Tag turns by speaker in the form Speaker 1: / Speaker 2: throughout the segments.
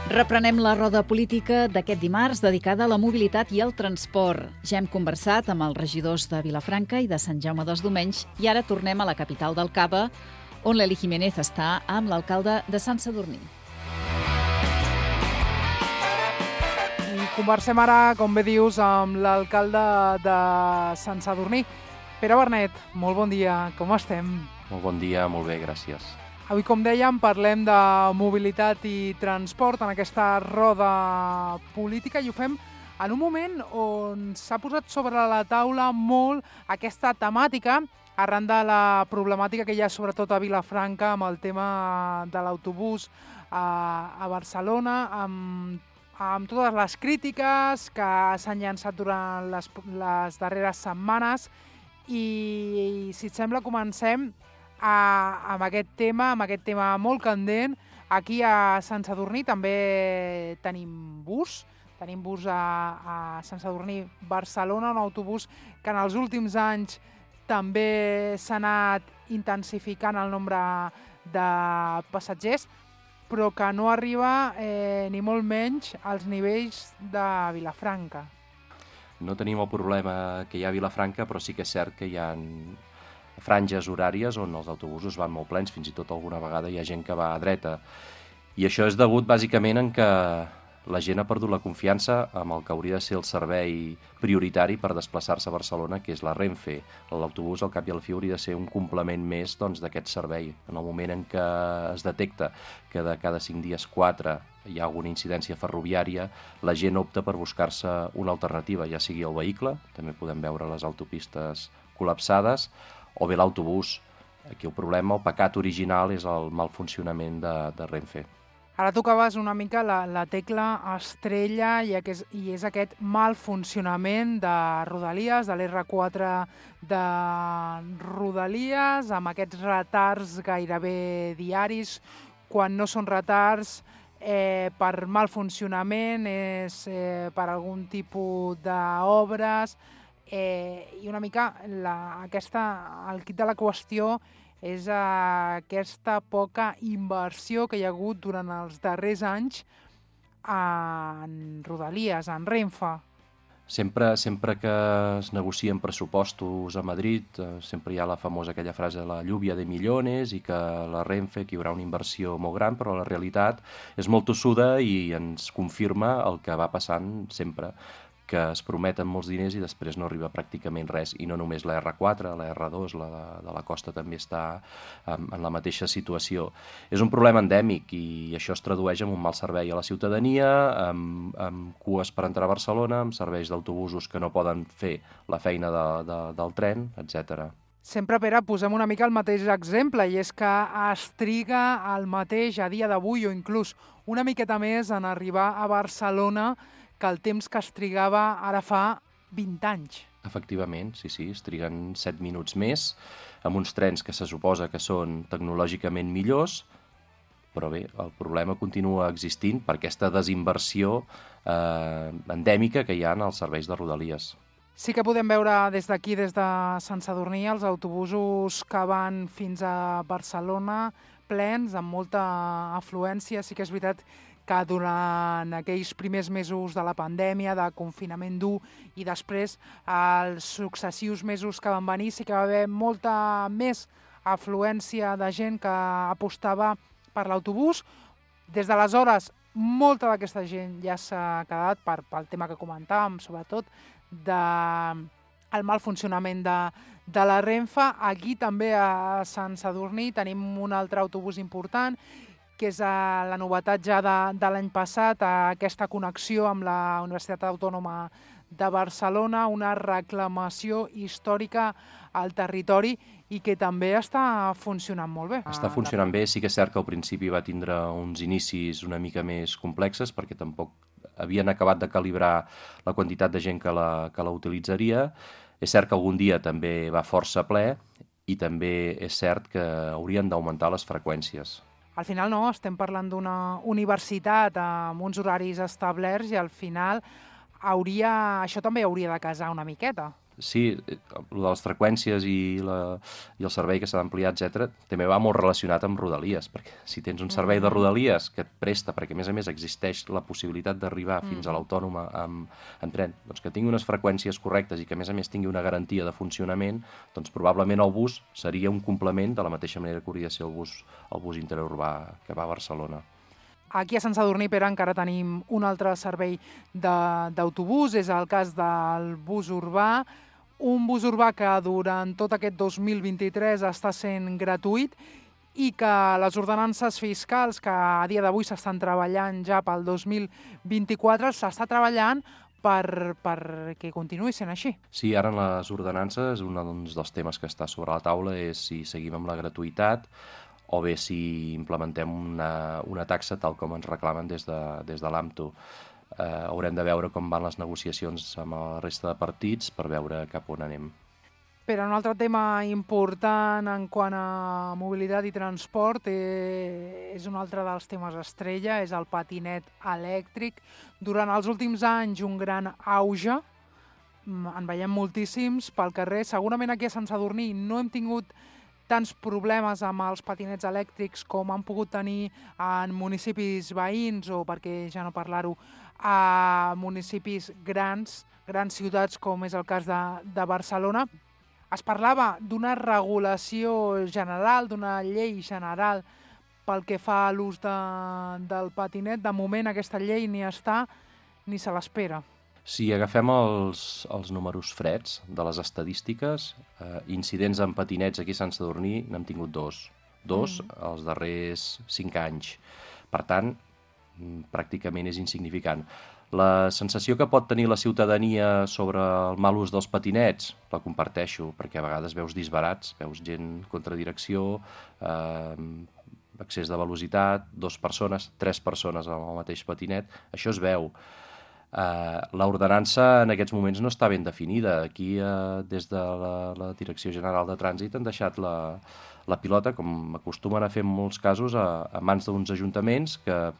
Speaker 1: Reprenem la roda política d'aquest dimarts dedicada a la mobilitat i al transport. Ja hem conversat amb els regidors de Vilafranca i de Sant Jaume dels Domenys i ara tornem a la capital del Cava, on l'Eli Jiménez està amb l'alcalde de Sant Sadurní.
Speaker 2: Conversem ara, com bé dius, amb l'alcalde de Sant Sadurní. Pere Bernet, molt bon dia, com estem?
Speaker 3: Molt bon dia, molt bé, gràcies.
Speaker 2: Avui, com dèiem, parlem de mobilitat i transport en aquesta roda política i ho fem en un moment on s'ha posat sobre la taula molt aquesta temàtica arran de la problemàtica que hi ha sobretot a Vilafranca amb el tema de l'autobús a Barcelona, amb totes les crítiques que s'han llançat durant les darreres setmanes i, si et sembla, comencem amb aquest tema molt candent. Aquí a Sant Sadurní també tenim bus a Sant Sadurní Barcelona, un autobús que en els últims anys també s'ha anat intensificant el nombre de passatgers, però que no arriba ni molt menys als nivells de Vilafranca.
Speaker 3: No tenim el problema que hi ha a Vilafranca, però sí que és cert que hi ha franges horàries on els autobusos van molt plens, fins i tot alguna vegada hi ha gent que va a dreta. I això és degut bàsicament en que la gent ha perdut la confiança amb el que hauria de ser el servei prioritari per desplaçar-se a Barcelona, que és la Renfe. L'autobús, al cap i a la fi, hauria de ser un complement més d'aquest servei. En el moment en què es detecta que de cada 5 dies 4 hi ha alguna incidència ferroviària, la gent opta per buscar-se una alternativa, ja sigui el vehicle, també podem veure les autopistes col·lapsades, o bé l'autobús. Aquí el problema, el pecat original, és el mal funcionament de Renfe.
Speaker 2: Ara tocaves una mica la tecla estrella i és aquest mal funcionament de Rodalies, de l'R4 de Rodalies, amb aquests retards gairebé diaris. Quan no són retards per mal funcionament, és per algun tipus d'obres, i una mica el quid de la qüestió és aquesta poca inversió que hi ha hagut durant els darrers anys en Rodalies, en Renfe.
Speaker 3: Sempre que es negocien pressupostos a Madrid, sempre hi ha la famosa aquella frase, la lluvia de millones, i que la Renfe, que hi haurà una inversió molt gran, però la realitat és molt tossuda i ens confirma el que va passant sempre, que es prometen molts diners i després no arriba pràcticament res, i no només la R4, la R2, la de la costa també està en la mateixa situació. És un problema endèmic i això es tradueix en un mal servei a la ciutadania, amb cues per entrar a Barcelona, amb serveis d'autobusos que no poden fer la feina del tren, etc.
Speaker 2: Sempre, Pere, posem una mica el mateix exemple, i és que es triga el mateix a dia d'avui o inclús una miqueta més en arribar a Barcelona que el temps que es trigava ara fa 20 anys.
Speaker 3: Efectivament, sí, es triguen 7 minuts més, amb uns trens que se suposa que són tecnològicament millors, però bé, el problema continua existint per aquesta desinversió endèmica que hi ha en els serveis de Rodalies.
Speaker 2: Sí que podem veure des d'aquí, des de Sant Sadurní, els autobusos que van fins a Barcelona plens, amb molta afluència. Sí que és veritat que durant aquells primers mesos de la pandèmia, de confinament dur, i després els successius mesos que van venir, sí que va haver molta més afluència de gent que apostava per l'autobús. Des d'aleshores, molta d'aquesta gent ja s'ha quedat pel tema que comentàvem, sobretot del mal funcionament de la Renfe. Aquí també a Sant Sadurní tenim un altre autobús important, que és la novetat ja de l'any passat, aquesta connexió amb la Universitat Autònoma de Barcelona, una reclamació històrica al territori i que també està funcionant molt bé.
Speaker 3: Està funcionant bé, sí que és cert que al principi va tindre uns inicis una mica més complexes perquè tampoc havien acabat de calibrar la quantitat de gent que la utilitzaria. És cert que algun dia també va força ple i també és cert que haurien d'augmentar les freqüències.
Speaker 2: Al final no, estem parlant d'una universitat amb uns horaris establerts i al final això també hauria de casar una miqueta.
Speaker 3: Sí, el de les freqüències i el servei que s'ha d'ampliar, etc., també va molt relacionat amb Rodalies, perquè si tens un servei de Rodalies que et presta, perquè a més existeix la possibilitat d'arribar fins a l'Autònoma en tren, doncs que tingui unes freqüències correctes i que a més tingui una garantia de funcionament, doncs probablement el bus seria un complement de la mateixa manera que hauria de ser el bus interurbà que va a Barcelona.
Speaker 2: Aquí a Sant Sadurní, Pere, encara tenim un altre servei d'autobús, és el cas del bus urbà, un bus urbà que durant tot aquest 2023 està sent gratuït i que les ordenances fiscals que a dia d'avui s'estan treballant ja pel 2024 s'està treballant perquè continuï sent així.
Speaker 3: Sí, ara en les ordenances un dels temes que està sobre la taula és si seguim amb la gratuïtat o bé si implementem una taxa tal com ens reclamen des de l'AMTO. Haurem de veure com van les negociacions amb la resta de partits per veure cap on anem.
Speaker 2: Però un altre tema important en quant a mobilitat i transport és un altre dels temes estrella, és el patinet elèctric. Durant els últims anys un gran auge, en veiem moltíssims pel carrer. Segurament aquí a Sant Sadurní no hem tingut tants problemes amb els patinets elèctrics com han pogut tenir en municipis veïns o, perquè ja no parlar-ho, a municipis grans ciutats com és el cas de Barcelona. Es parlava d'una regulació general, d'una llei general pel que fa a l'ús del patinet. De moment aquesta llei ni està ni se l'espera.
Speaker 3: Si agafem els números freds de les estadístiques, incidents en patinets aquí a Sant Sadurní n'hem tingut dos els darrers 5 anys. Per tant, pràcticament és insignificant. La sensació que pot tenir la ciutadania sobre el mal ús dels patinets la comparteixo, perquè a vegades veus disbarats, veus gent contra direcció, excés de velocitat, 2 persones, 3 persones amb el mateix patinet, això es veu. L'ordenança en aquests moments no està ben definida. Aquí, des de la Direcció General de Trànsit, han deixat la pilota, com acostumen a fer en molts casos, a mans d'uns ajuntaments que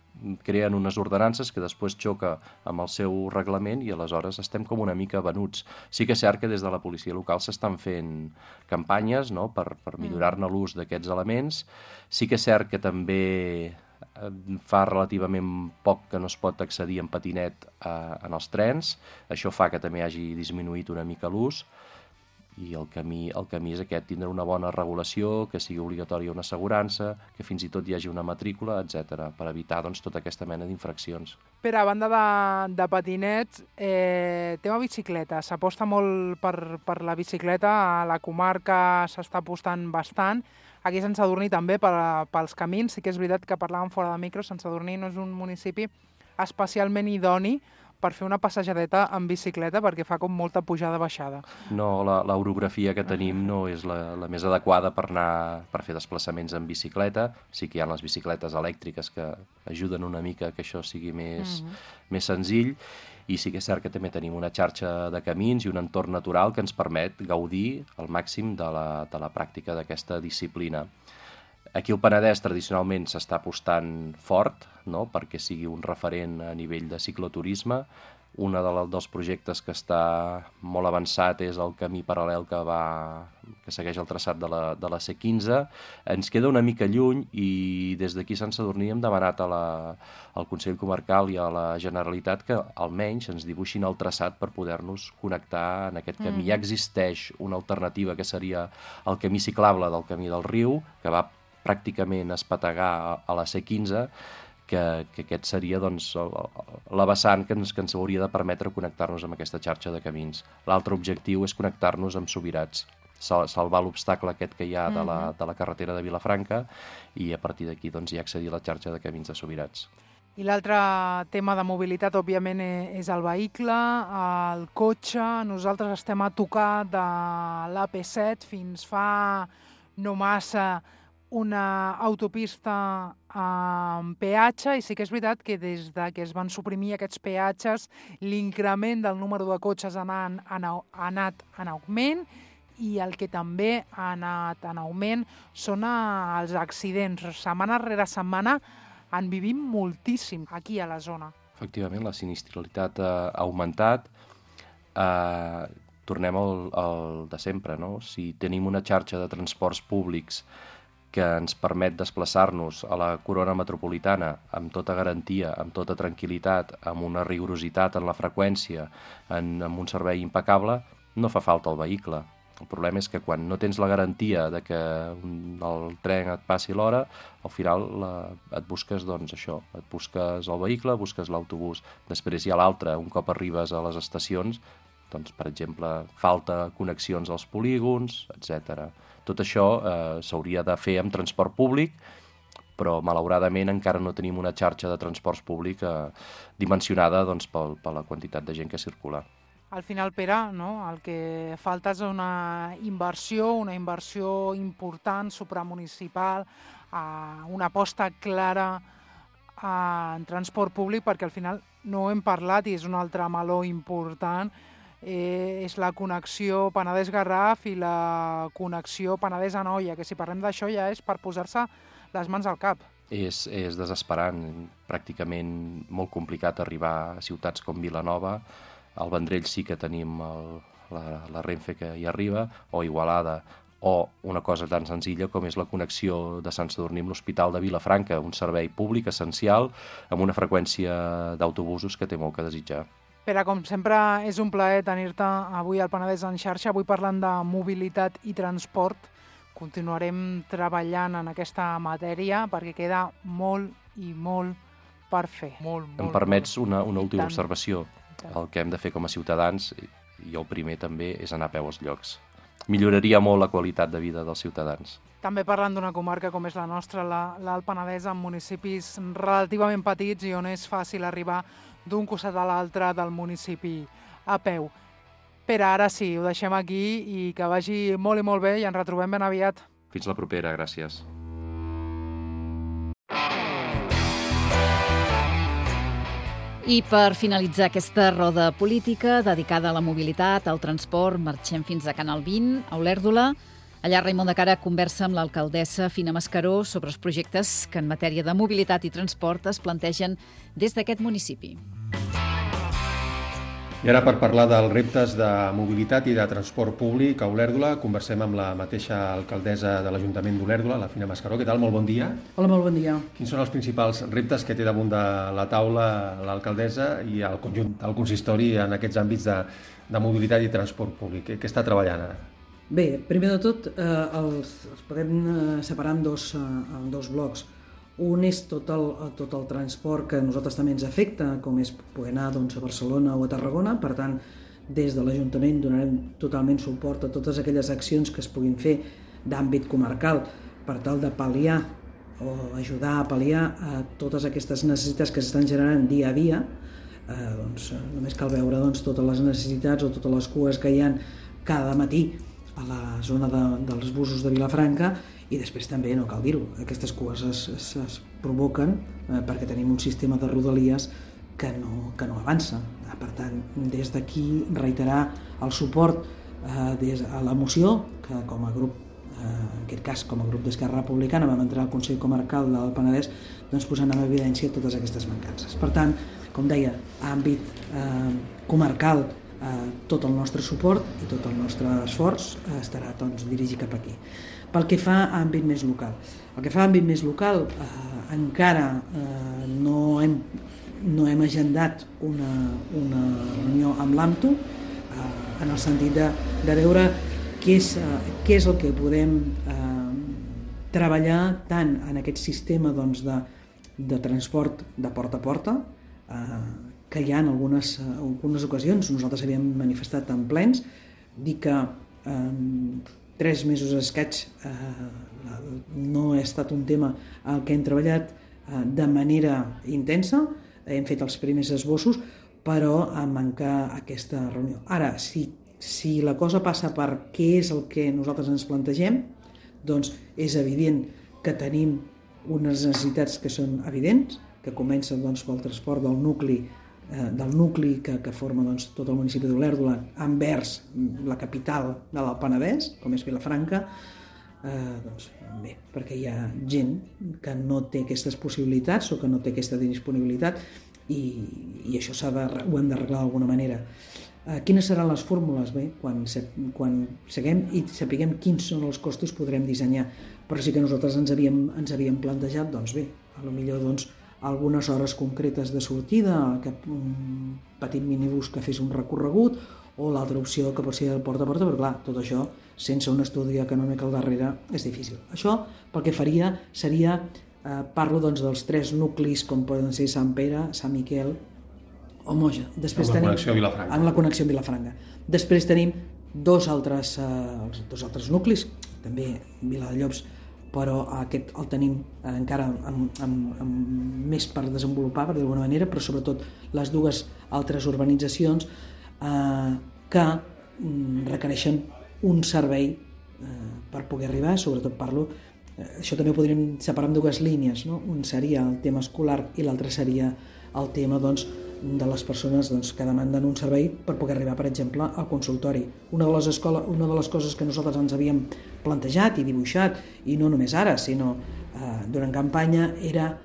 Speaker 3: creen unes ordenances que després xoca amb el seu reglament i aleshores estem com una mica venuts. Sí que és cert que des de la policia local s'estan fent campanyes, no?, per millorar-ne l'ús d'aquests elements. Sí que és cert que també fa relativament poc que no es pot accedir en patinet en els trens. Això fa que també hagi disminuït una mica l'ús i el camí és aquest, tindre una bona regulació, que sigui obligatòria una assegurança, que fins i tot hi hagi una matrícula, etc., per evitar tota aquesta mena d'infraccions.
Speaker 2: Però a banda de patinets, tema bicicleta. S'aposta molt per la bicicleta, a la comarca s'està apostant bastant. Aquí a Sant Sadurní també pels camins. Sí que és veritat que parlàvem fora de micro, Sant Sadurní no és un municipi especialment idoni per fer una passejadeta en bicicleta perquè fa com molta pujada-baixada.
Speaker 3: No, l'orografia que tenim no és la més adequada per fer desplaçaments en bicicleta. Sí que hi ha les bicicletes elèctriques que ajuden una mica que això sigui més senzill. I sí que és cert que també tenim una xarxa de camins i un entorn natural que ens permet gaudir al màxim de la pràctica d'aquesta disciplina. Aquí al Penedès tradicionalment s'està apostant fort, no?, perquè sigui un referent a nivell de cicloturisme. Un dels projectes que està molt avançat és el camí paral·lel que segueix el traçat de la C15. Ens queda una mica lluny i des d'aquí a Sant Sadurní hem demanat al Consell Comarcal i a la Generalitat que almenys ens dibuixin el traçat per poder-nos connectar en aquest camí. Ja existeix una alternativa que seria el camí ciclable del Camí del Riu, que va pràcticament espetegar a la C15, que aquest seria la vessant que ens hauria de permetre connectar-nos amb aquesta xarxa de camins. L'altre objectiu és connectar-nos amb Subirats, salvar l'obstacle aquest que hi ha de la carretera de Vilafranca i a partir d'aquí ja accedir a la xarxa de camins de Subirats.
Speaker 2: I l'altre tema de mobilitat, òbviament, és el vehicle, el cotxe. Nosaltres estem a tocar de l'AP7 fins fa no massa una autopista amb peatge i sí que és veritat que des que es van suprimir aquests peatges l'increment del número de cotxes ha anat en augment i el que també ha anat en augment són els accidents. Setmana rere setmana en vivim moltíssim aquí a la zona.
Speaker 3: Efectivament, la sinistralitat ha augmentat. tornem al de sempre, no? Si tenim una xarxa de transports públics que ens permet desplaçar-nos a la corona metropolitana amb tota garantia, amb tota tranquil·litat, amb una rigorositat en la freqüència, amb un servei impecable, no fa falta el vehicle. El problema és que quan no tens la garantia de que el tren et passi l'hora, al final et busques, doncs, això, et busques el vehicle, busques l'autobús. Després hi ha l'altre, un cop arribes a les estacions, doncs, per exemple, falta connexions als polígons, etc. Tot això s'hauria de fer amb transport públic, però malauradament encara no tenim una xarxa de transports públic dimensionada doncs, per la quantitat de gent que circula.
Speaker 2: Al final, Pere, no? El que falta és una inversió important, supramunicipal, una aposta clara en transport públic, perquè al final no ho hem parlat i és un altre meló important, és la connexió Penedès-Garraf i la connexió Penedès-Anoia, que si parlem d'això ja és per posar-se les mans al cap.
Speaker 3: És desesperant, pràcticament molt complicat arribar a ciutats com Vilanova. Al Vendrell sí que tenim la Renfe que hi arriba, o Igualada, o una cosa tan senzilla com és la connexió de Sant Sadurní amb l'Hospital de Vilafranca, un servei públic essencial amb una freqüència d'autobusos que té molt que desitjar.
Speaker 2: Pere, com sempre, és un plaer tenir-te avui al Penedès en xarxa, avui parlant de mobilitat i transport. Continuarem treballant en aquesta matèria perquè queda molt i molt per fer.
Speaker 3: Em permets una última observació. El que hem de fer com a ciutadans, i el primer també, és anar a peu als llocs. Milloraria molt la qualitat de vida dels ciutadans.
Speaker 2: També parlant d'una comarca com és la nostra, l'Alt Penedès, amb municipis relativament petits i on és fàcil arribar d'un costat a l'altre del municipi a peu. Pere, ara sí, ho deixem aquí i que vagi molt i molt bé i ens retrobem ben aviat.
Speaker 3: Fins la propera, gràcies.
Speaker 1: I per finalitzar aquesta roda política dedicada a la mobilitat, al transport, marxem fins a Canal 20, a Olèrdola. Allà Raimon de Cara conversa amb l'alcaldessa Fina Mascaró sobre els projectes que en matèria de mobilitat i transport es plantegen des d'aquest municipi.
Speaker 4: I ara, per parlar dels reptes de mobilitat i de transport públic a Olèrdola, conversem amb la mateixa alcaldessa de l'Ajuntament d'Olèrdola, la Fina Mascaró. Què tal? Molt bon dia.
Speaker 5: Hola, molt bon dia.
Speaker 4: Quins són els principals reptes que té damunt de la taula l'alcaldessa i el conjunt del consistori en aquests àmbits de mobilitat i transport públic? Què està treballant ara?
Speaker 5: Bé, primer de tot, els podem separar en dos blocs. Un és tot el transport que a nosaltres també ens afecta, com és poder anar a Barcelona o a Tarragona. Per tant, des de l'Ajuntament donarem totalment suport a totes aquelles accions que es puguin fer d'àmbit comarcal per tal de pal·liar o ajudar a pal·liar a totes aquestes necessitats que s'estan generant dia a dia. Només cal veure totes les necessitats o totes les cues que hi ha cada matí a la zona dels busos de Vilafranca, i després també, no cal dir-ho, aquestes cues es provoquen perquè tenim un sistema de rodalies que no avança. Per tant, des d'aquí reiterar el suport a la moció que com a grup, en aquest cas com a grup d'Esquerra Republicana, vam entrar al Consell Comarcal del Penedès posant en evidència totes aquestes mancances. Per tant, com deia, a àmbit comarcal, tot el nostre suport i tot el nostre esforç estarà dirigit cap aquí. Pel que fa a àmbit més local. El que fa a àmbit més local, encara no hem agendat una reunió amb l'AMTO en el sentit de veure què és el que podem treballar tant en aquest sistema de transport de porta a porta, que hi ha en algunes ocasions. Nosaltres havíem manifestat en plens, dir que 3 mesos escaig no ha estat un tema al que hem treballat de manera intensa, hem fet els primers esbossos, però manca aquesta reunió. Ara, si la cosa passa per què és el que nosaltres ens plantegem, doncs és evident que tenim unes necessitats que són evidents, que comencen pel transport del nucli que forma tot el municipi d'Olèrdola envers la capital de l'Alt Penedès, com és Vilafranca. Bé, perquè hi ha gent que no té aquestes possibilitats o que no té aquesta disponibilitat i això ho hem d'arreglar d'alguna manera. Quines seran les fórmules? Bé, quan seguem i sapiguem quins són els costos podrem dissenyar, però sí que nosaltres ens havíem plantejat, doncs bé, potser doncs, algunes hores concretes de sortida, un petit minibús que fes un recorregut, o l'altra opció que pot ser el porta a porta, però clar, tot això, sense un estudi econòmic al darrere, és difícil. Això, pel que faria, seria, parlo doncs, dels 3 nuclis, com poden ser Sant Pere, Sant Miquel o Moja. Després
Speaker 4: amb la connexió a Vilafranca.
Speaker 5: Amb la connexió a Vilafranca. Després tenim dos altres nuclis, també Viladellobs, però aquest el tenim encara amb més per desenvolupar, per d'alguna manera, però sobretot les 2 altres urbanitzacions que requereixen un servei per poder arribar, sobretot això també ho podríem separar en 2 línies, no? Un seria el tema escolar i l'altre seria el tema doncs, de les persones que demanden un servei per poder arribar, per exemple, al consultori. Una de les coses que nosaltres ens havíem plantejat i dibuixat, i no només ara, sinó durant campanya, era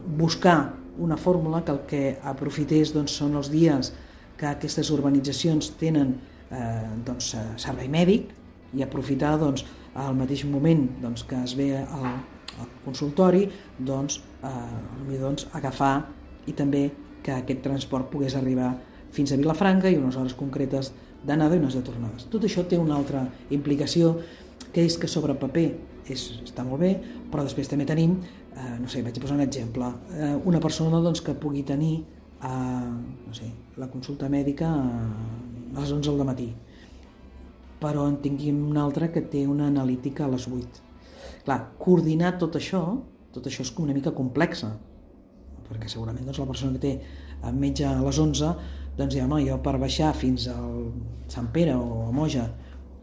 Speaker 5: buscar una fórmula que el que aprofités doncs, són els dies que aquestes urbanitzacions tenen servei mèdic i aprofitar al mateix moment que es ve al consultori agafar i també que aquest transport pogués arribar fins a Vilafranca i unes hores concretes d'anada i unes de tornades. Tot això té una altra implicació, que és que sobre paper està molt bé, però després també tenim, vaig posar un exemple, una persona que pugui tenir la consulta mèdica a les 11 del matí, però en tinguem una altra que té una analítica a les 8. Clar, coordinar tot això és una mica complexa, perquè segurament la persona que té metge a les 11, jo per baixar fins al Sant Pere o a Moja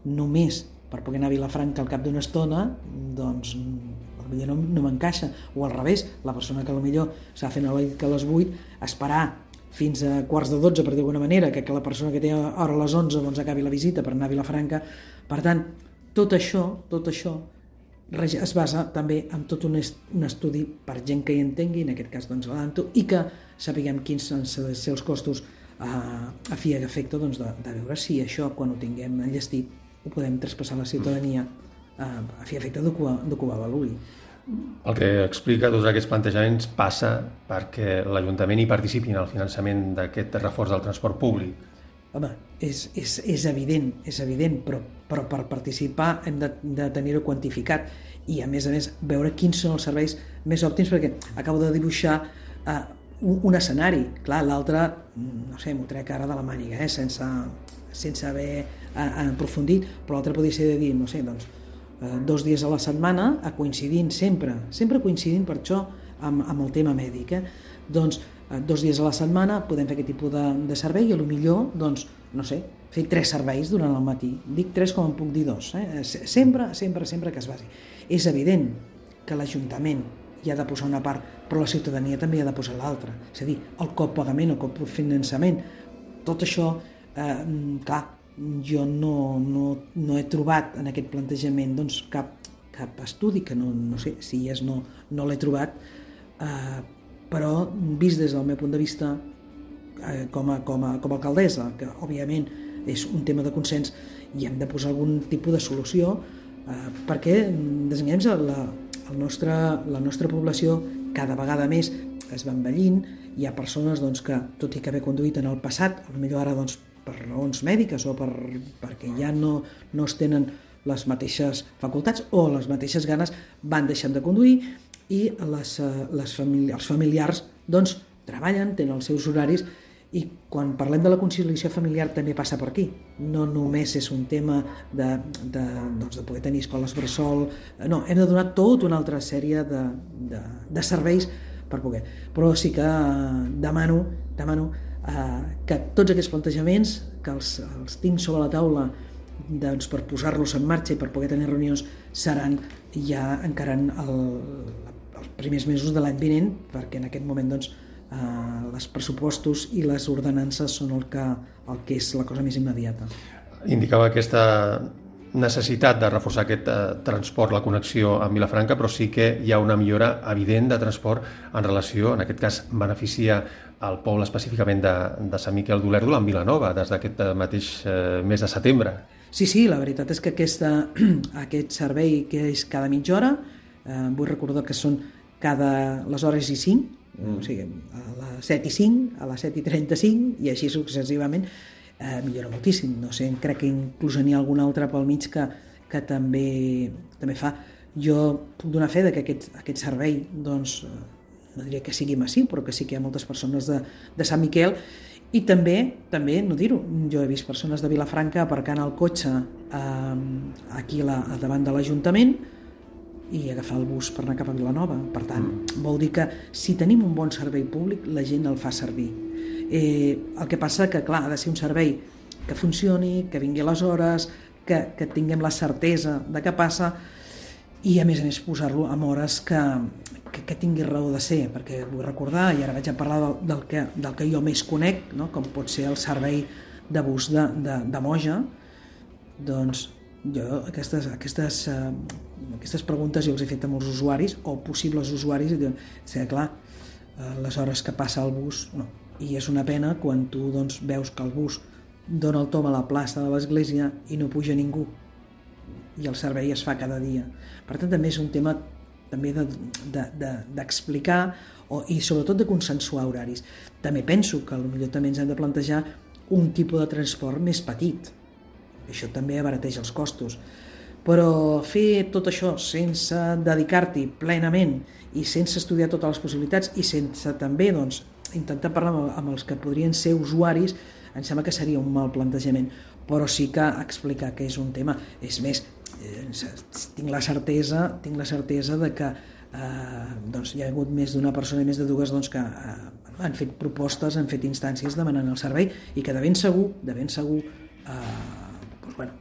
Speaker 5: només per poder anar a Vilafranca al cap d'una estona, potser no m'encaixa, o al revés, la persona que potser s'ha fet analítica a les 8, esperar fins a 11:45, per dir d'alguna manera, que la persona que té hora a les 11 acabi la visita per anar a Vilafranca. Per tant, tot això es basa també en tot un estudi per gent que hi entengui, en aquest cas l'ADANTO, i que sapiguem quins han de ser els costos a fi i efecte de veure si això, quan ho tinguem enllestit, ho podem traspassar a la ciutadania a fi i efecte de que ho avaluï.
Speaker 4: El que explica tots aquests plantejaments passa perquè l'Ajuntament hi participi en el finançament d'aquest reforç del transport públic.
Speaker 5: Home, és evident, però per participar hem de tenir-ho quantificat i, a més, veure quins són els serveis més òptims, perquè acabo de dibuixar un escenari. Clar, l'altre, m'ho trec ara de la màniga, sense haver aprofundit, però l'altre podria ser de dir, 2 dies a la setmana, coincidint sempre coincidint per això amb el tema mèdic. 2 dies a la setmana podem fer aquest tipus de servei i potser, fer 3 serveis durant el matí. Dic 3 com en puc dir 2, sempre que es basi. És evident que l'Ajuntament hi ha de posar una part, però la ciutadania també hi ha de posar l'altra. És a dir, el copagament, el cofinançament, tot això, clar, jo no he trobat en aquest plantejament cap estudi, que no sé si no l'he trobat, però vist des del meu punt de vista com a alcaldessa, que òbviament és un tema de consens i hem de posar algun tipus de solució, perquè desenganys la nostra població cada vegada més es va envellint. Hi ha persones que, tot i que haver conduït en el passat, potser ara per raons mèdiques o perquè ja no es tenen les mateixes facultats o les mateixes ganes, van deixant de conduir, i els familiars treballen, tenen els seus horaris, i quan parlem de la conciliació familiar també passa per aquí. No només és un tema de poder tenir escoles bressol, no, hem de donar tota una altra sèrie de serveis per poder. Però sí que demano que tots aquests plantejaments, que els tinc sobre la taula per posar-los en marxa i per poder tenir reunions, seran ja encarant els primers mesos de l'any vinent, perquè en aquest moment els pressupostos i les ordenances són el que és la cosa més immediata.
Speaker 4: Indicava aquesta necessitat de reforçar aquest transport, la connexió amb Vilafranca, però sí que hi ha una millora evident de transport en relació, en aquest cas beneficia el poble específicament de Sant Miquel d'Olèrdola amb Vilanova des d'aquest mateix mes de setembre.
Speaker 5: Sí, la veritat és que aquest servei que és cada mitja hora, vull recordar que són cada les hores i 5, o sigui, a les 7 i 5, a les 7 i 35 i així successivament, millora moltíssim. No sé, crec que inclús n'hi ha algun altre pel mig que també fa. Jo puc donar fe que aquest servei, doncs, no diria que sigui massiu, però que sí que hi ha moltes persones de Sant Miquel. I també, no dir-ho, jo he vist persones de Vilafranca aparcant el cotxe aquí davant de l'Ajuntament i agafar el bus per anar cap a Vilanova. Per tant, vol dir que si tenim un bon servei públic, la gent el fa servir. El que passa que, clar, ha de ser un servei que funcioni, que vingui a les hores, que tinguem la certesa de què passa i, a més posar-lo en hores que tingui raó de ser, perquè vull recordar, i ara vaig a parlar del que jo més conec, no? Com pot ser el servei de bus de Moja, doncs jo aquestes preguntes jo els he fet a molts usuaris o possibles usuaris i diuen, clar, les hores que passa el bus, no. I és una pena quan tu doncs, veus que el bus dona el tom a la plaça de l'església i no puja ningú i el servei es fa cada dia. Per tant, també és un tema també d'explicar i sobretot de consensuar horaris. També penso que potser també ens hem de plantejar un tipus de transport més petit. Això també abarateix els costos. Però fer tot això sense dedicar-t'hi plenament i sense estudiar totes les possibilitats i sense també doncs, intentar parlar amb els que podrien ser usuaris, em sembla que seria un mal plantejament, però sí que explicar que és un tema. És més, tinc la certesa de que doncs, hi ha hagut més d'una persona i més de dues doncs, que han fet propostes, han fet instàncies demanant el servei i que de ben segur doncs, bueno,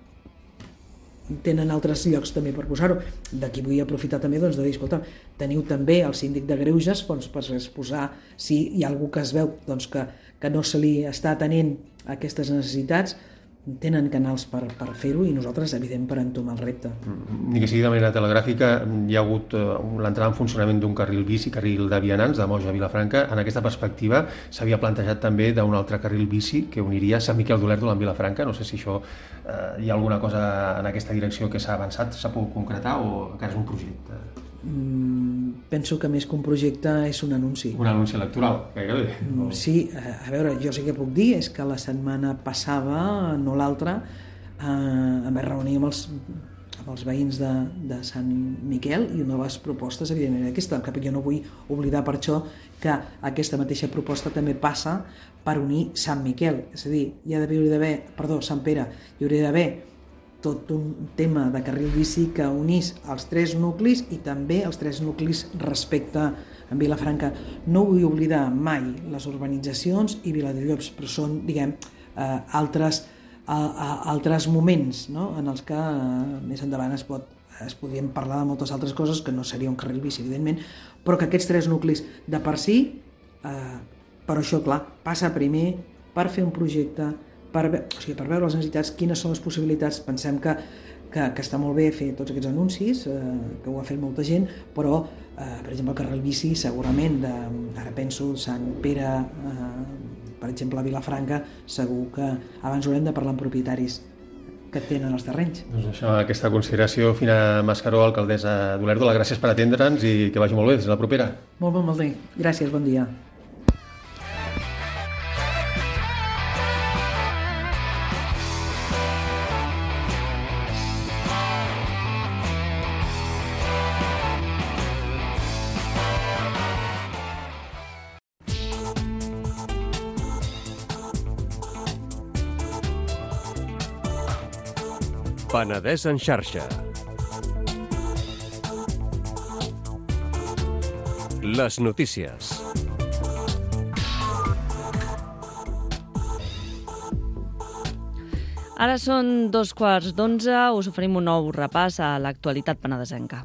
Speaker 5: tenen altres llocs també per posar-ho. D'aquí vull aprofitar també doncs, de dir, escolta, teniu també el síndic de greuges doncs, per exposar si hi ha algú que es veu doncs, que no se li està atenent a aquestes necessitats, tenen canals per fer-ho i nosaltres, evident, per entomar el repte.
Speaker 4: Ni que sigui de manera telegràfica, hi ha hagut l'entrada en funcionament d'un carril bici, carril de vianants, de Moja a Vilafranca. En aquesta perspectiva s'havia plantejat també d'un altre carril bici que uniria Sant Miquel d'Olèrdola amb Vilafranca. No sé si això hi ha alguna cosa en aquesta direcció que s'ha avançat, s'ha pogut concretar o encara és un projecte?
Speaker 5: Penso que més que un projecte és un anunci.
Speaker 4: Un anunci electoral, gairebé.
Speaker 5: Sí, a veure, jo sí que puc dir és que la setmana passada, no l'altra, em vaig reunir amb els veïns de Sant Miquel i una de les propostes, evidentment, aquesta, que jo no vull oblidar per això que aquesta mateixa proposta també passa per unir Sant Miquel, és a dir, Sant Pere, hi hauria d'haver tot un tema de carril bici que unís els 3 nuclis i també els 3 nuclis respecte a Vilafranca. No vull oblidar mai les urbanitzacions i Viladrillops, però són, diguem, altres moments, no? En els que més endavant es podrien parlar de moltes altres coses, que no seria un carril bici, evidentment, però que aquests 3 nuclis de per si, però això, clar, passa primer per fer un projecte, per veure les necessitats, quines són les possibilitats. Pensem que està molt bé fer tots aquests anuncis, que ho ha fet molta gent, però, per exemple, el carril bici, segurament, ara penso Sant Pere, per exemple, a Vilafranca, segur que abans haurem de parlar amb propietaris que tenen els terrenys.
Speaker 4: Doncs això, aquesta consideració. Fina Mascaró, alcaldessa d'Olèrdola, gràcies per atendre'ns i que vagi molt bé. Fins la propera.
Speaker 5: Molt bé. Gràcies, bon dia.
Speaker 6: Penedès en xarxa. Les notícies.
Speaker 7: Ara són 11:15, us oferim un nou repàs a l'actualitat penedesenca.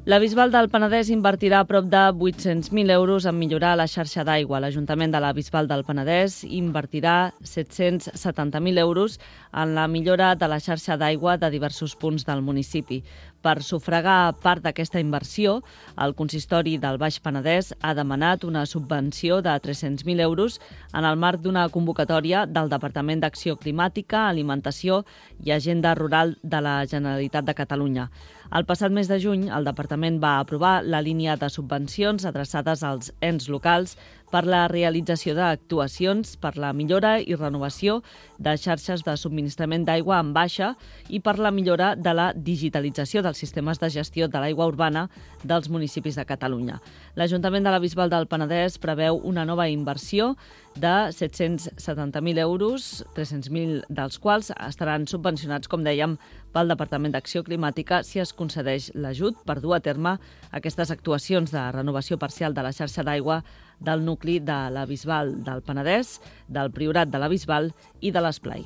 Speaker 7: La Bisbal del Penedès invertirà prop de 800.000 euros en millorar la xarxa d'aigua. L'Ajuntament de la Bisbal del Penedès invertirà 770.000 euros en la millora de la xarxa d'aigua de diversos punts del municipi. Per sufragar part d'aquesta inversió, el consistori del Baix Penedès ha demanat una subvenció de 300.000 euros en el marc d'una convocatòria del Departament d'Acció Climàtica, Alimentació i Agenda Rural de la Generalitat de Catalunya. El passat mes de juny, el Departament va aprovar la línia de subvencions adreçades als ens locals per la realització d'actuacions per la millora i renovació de xarxes de subministrament d'aigua en baixa i per la millora de la digitalització dels sistemes de gestió de l'aigua urbana dels municipis de Catalunya. L'Ajuntament de la Bisbal del Penedès preveu una nova inversió de 770.000 euros, 300.000 dels quals estaran subvencionats, com dèiem, pel Departament d'Acció Climàtica si es concedeix l'ajut per dur a terme aquestes actuacions de renovació parcial de la xarxa d'aigua del nucli de la Bisbal del Penedès, del Priorat de la Bisbal i de l'Esplai.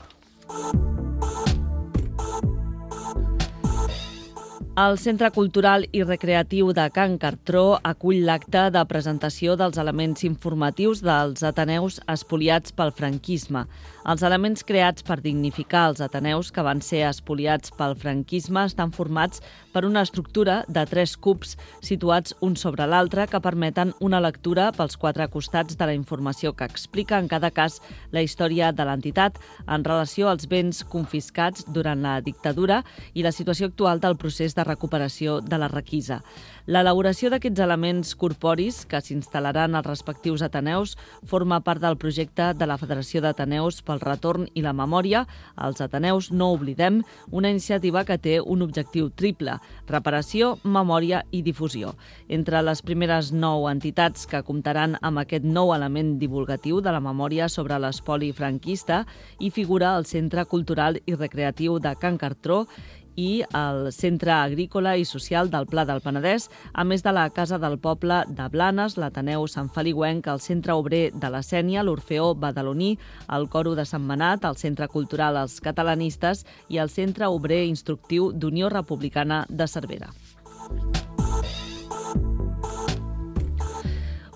Speaker 7: El Centre Cultural i Recreatiu de Can Cartró acull l'acte de presentació dels elements informatius dels ateneus espoliats pel franquisme. Els elements creats per dignificar els ateneus que van ser espoliats pel franquisme estan formats per una estructura de 3 cubs situats un sobre l'altre que permeten una lectura pels 4 costats de la informació que explica en cada cas la història de l'entitat en relació als béns confiscats durant la dictadura i la situació actual del procés de recuperació de la requisa. L'elaboració d'aquests elements corporis que s'instal·laran als respectius ateneus forma part del projecte de la Federació d'Ateneus pel Retorn i la Memòria, els Ateneus No Oblidem, una iniciativa que té un objectiu triple: reparació, memòria i difusió. Entre les primeres 9 entitats que comptaran amb aquest nou element divulgatiu de la memòria sobre l'espoli franquista hi figura el Centre Cultural i Recreatiu de Can Cartró i el Centre Agrícola i Social del Pla del Penedès, a més de la Casa del Poble de Blanes, l'Ateneu Sant Feliuenc, el Centre Obrer de la Sénia, l'Orfeó Badaloní, el Coro de Sant Manat, el Centre Cultural Els Catalanistes i el Centre Obrer Instructiu d'Unió Republicana de Cervera.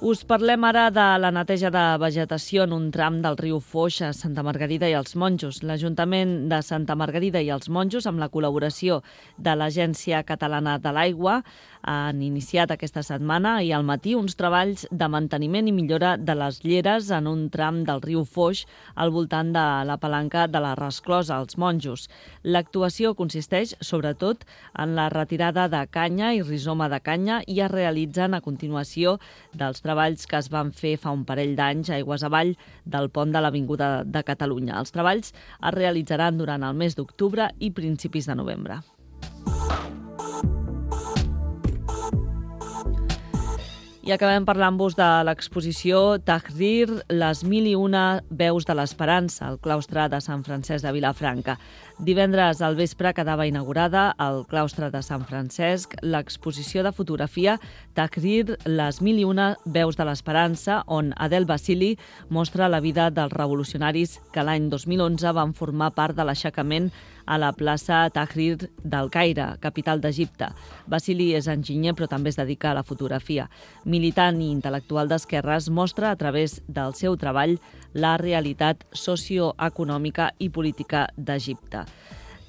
Speaker 7: Us parlem ara de la neteja de vegetació en un tram del riu Foix a Santa Margarida i els Monjos. L'Ajuntament de Santa Margarida i els Monjos, amb la col·laboració de l'Agència Catalana de l'Aigua, han iniciat aquesta setmana i al matí uns treballs de manteniment i millora de les lleres en un tram del riu Foix al voltant de la palanca de la Resclosa, als Monjos. L'actuació consisteix, sobretot, en la retirada de canya i rizoma de canya i es realitzen a continuació dels treballs que es van fer fa un parell d'anys aigües avall del pont de l'Avinguda de Catalunya. Els treballs es realitzaran durant el mes d'octubre i principis de novembre. I acabem parlant-vos de l'exposició Tahrir, les 1001 veus de l'esperança, al claustre de Sant Francesc de Vilafranca. Divendres al vespre quedava inaugurada al claustre de Sant Francesc l'exposició de fotografia Tahrir, les 1001 veus de l'esperança, on Adel Basili mostra la vida dels revolucionaris que l'any 2011 van formar part de l'aixecament a la plaça Tahrir del Caire, capital d'Egipte. Basili és enginyer, però també es dedica a la fotografia. Militant i intel·lectual d'esquerres, mostra a través del seu treball la realitat socioeconòmica i política d'Egipte.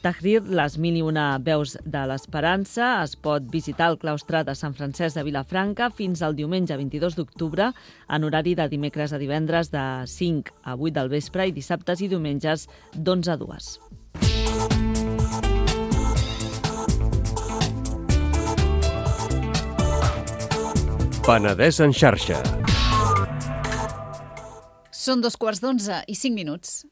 Speaker 7: Tahrir, les 1001 veus de l'esperança, es pot visitar al claustre de Sant Francesc de Vilafranca fins al diumenge 22 d'octubre, en horari de dimecres a divendres de 5 a 8 del vespre i dissabtes i diumenges d'11 a 2.
Speaker 6: Penedès en xarxa.
Speaker 1: Són 11:45.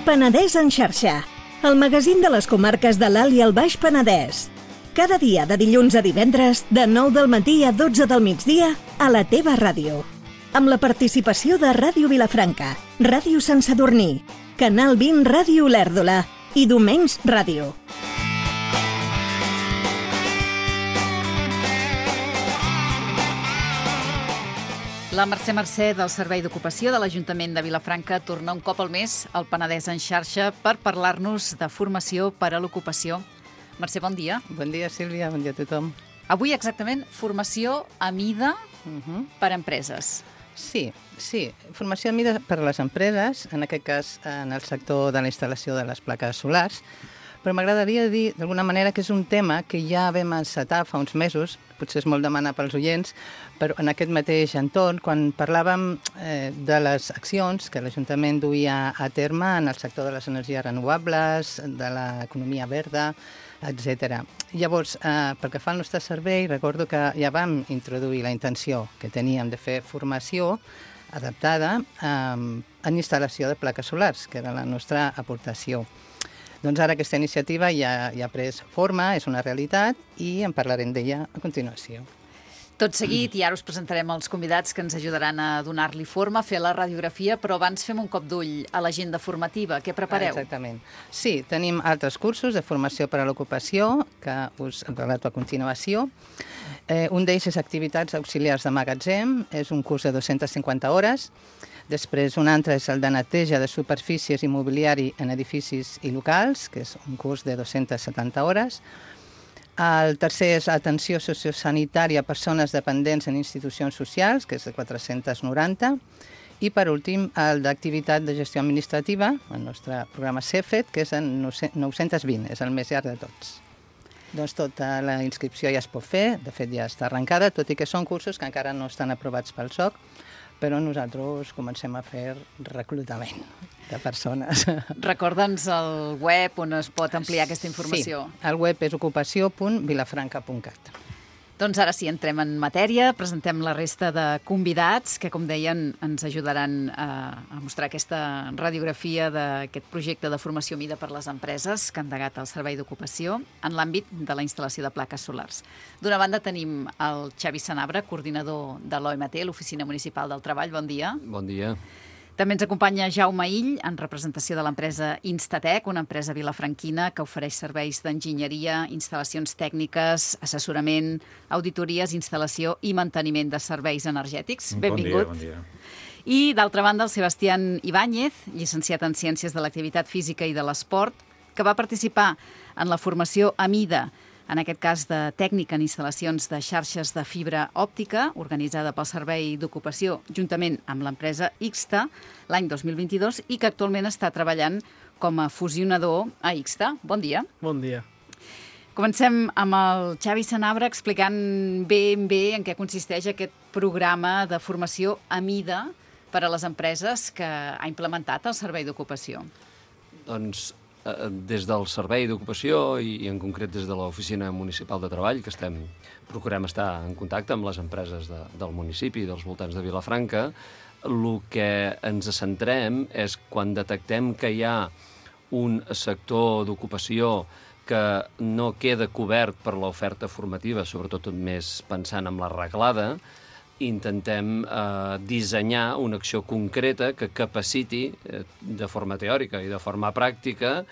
Speaker 8: Penedès en xarxa, el magazín de les comarques de l'Alt i el Baix Penedès. Cada dia de dilluns a divendres, de 9 del matí a 12 del migdia, a la teva ràdio. Amb la participació de Ràdio Vilafranca, Ràdio Sant Sadurní, Canal 20 Ràdio Olèrdola i Domenys Ràdio.
Speaker 1: La Mercè del Servei d'Ocupació de l'Ajuntament de Vilafranca torna un cop al mes al Penedès en xarxa per parlar-nos de formació per a l'ocupació. Mercè, bon dia.
Speaker 9: Bon dia, Sílvia, bon dia a tothom.
Speaker 1: Avui exactament formació a mida per a empreses.
Speaker 9: Sí, formació a mida per a les empreses, en aquest cas en el sector de la instal·lació de les plaques solars, però m'agradaria dir d'alguna manera que és un tema que ja vam encetar fa uns mesos, potser és molt demanar pels oients, però en aquest mateix entorn, quan parlàvem de les accions que l'Ajuntament duia a terme en el sector de les energies renovables, de l'economia verda, etc. Llavors, pel que fa al nostre servei, recordo que ja vam introduir la intenció que teníem de fer formació adaptada en instal·lació de plaques solars, que era la nostra aportació. Doncs ara aquesta iniciativa ja ha pres forma, és una realitat i en parlarem d'ella a continuació.
Speaker 1: Tot seguit, i ara us presentarem els convidats que ens ajudaran a donar-li forma, a fer la radiografia, però abans fem un cop d'ull a l'agenda formativa. Què prepareu?
Speaker 9: Exactament. Sí, tenim altres cursos de formació per a l'ocupació que us relato a continuació. Un d'ells és activitats auxiliars de magatzem, és un curs de 250 hores. Després un altre és el de neteja de superfícies i mobiliari en edificis i locals, que és un curs de 270 hores. El tercer és atenció sociosanitària a persones dependents en institucions socials, que és de 490. I per últim, el d'activitat de gestió administrativa, el nostre programa CEFET, que és en 920, és el més llarg de tots. Doncs tota la inscripció ja es pot fer, de fet ja està arrencada, tot i que són cursos que encara no estan aprovats pel SOC, però nosaltres comencem a fer reclutament de persones.
Speaker 1: Recorda'ns el web on es pot ampliar aquesta informació.
Speaker 9: Sí, el web és ocupació.vilafranca.cat.
Speaker 1: Doncs ara sí, entrem en matèria, presentem la resta de convidats que, com deien, ens ajudaran a mostrar aquesta radiografia d'aquest projecte de formació mida per les empreses que ha endegat el Servei d'Ocupació en l'àmbit de la instal·lació de plaques solars. D'una banda tenim el Xavi Sanabra, coordinador de l'OMT, l'Oficina Municipal del Treball. Bon dia.
Speaker 10: Bon dia.
Speaker 1: També ens acompanya Jaume Ill, en representació de l'empresa Instatec, una empresa vilafranquina que ofereix serveis d'enginyeria, instal·lacions tècniques, assessorament, auditories, instal·lació i manteniment de serveis energètics. Benvingut.
Speaker 11: Bon dia.
Speaker 1: I, d'altra banda, el Sebastián Ibáñez, llicenciat en Ciències de l'Activitat Física i de l'Esport, que va participar en la formació a mida, en aquest cas de tècnica en instal·lacions de xarxes de fibra òptica, organitzada pel Servei d'Ocupació juntament amb l'empresa Ixta l'any 2022 i que actualment està treballant com a fusionador a Ixta. Bon dia.
Speaker 11: Bon dia.
Speaker 1: Comencem amb el Xavi Sanabra explicant ben bé en què consisteix aquest programa de formació a mida per a les empreses que ha implementat el Servei d'Ocupació.
Speaker 10: Doncs des del Servei d'Ocupació i en concret des de l'Oficina Municipal de Treball, que procurem estar en contacte amb les empreses del municipi i dels voltants de Vilafranca, el que ens centrem és quan detectem que hi ha un sector d'ocupació que no queda cobert per l'oferta formativa, sobretot més pensant en la reglada, intentem dissenyar una acció concreta que capaciti de forma teòrica i de forma pràctica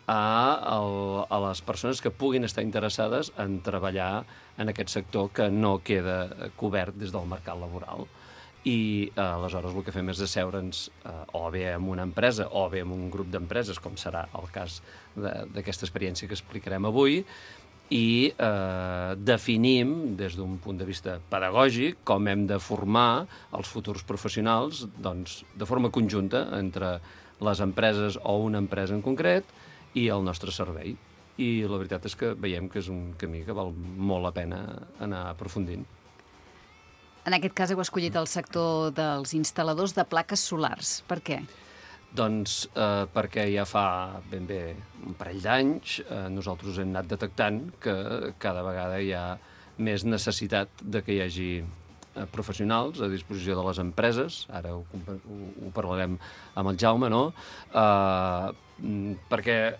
Speaker 10: a les persones que puguin estar interessades en treballar en aquest sector que no queda cobert des del mercat laboral. I aleshores el que fem és asseure'ns o bé amb una empresa o bé amb un grup d'empreses, com serà el cas d'aquesta experiència que explicarem avui, i definim des d'un punt de vista pedagògic com hem de formar els futurs professionals de forma conjunta entre les empreses o una empresa en concret i el nostre servei. I la veritat és que veiem que és un camí que val molt la pena anar aprofundint.
Speaker 1: En aquest cas heu escollit el sector dels instal·ladors de plaques solars. Per què?
Speaker 10: Doncs perquè ja fa ben bé un parell d'anys nosaltres hem anat detectant que cada vegada hi ha més necessitat de que hi hagi professionals a disposició de les empreses, ara ho parlarem amb el Jaume, no? Perquè